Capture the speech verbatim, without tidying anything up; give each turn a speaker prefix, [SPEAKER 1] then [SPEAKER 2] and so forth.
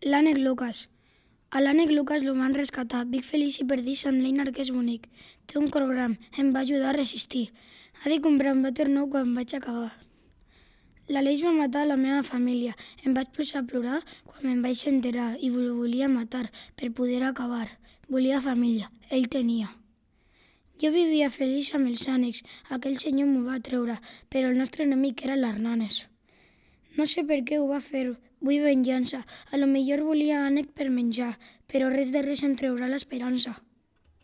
[SPEAKER 1] L'ànec Lucas. A l'ànec Lucas el van rescatar. Vic feliç i perdís amb l'Einar, que és bonic. Té un cor gran. Em va ajudar a resistir. Ha de comprar un vàter nou quan vaig acabar. L'Aleix va matar la meva família. Em vaig posar a plorar quan me'n vaig enterar i el volia matar per poder acabar. Volia família. Ell tenia. Jo vivia feliç amb els ànecs. Aquell senyor m'ho va treure, però el nostre enemic era l'Hernanes. No sé per què ho va fer. Vull venjança. A lo millor volia ànec per menjar, però res de res em treurà l'esperança.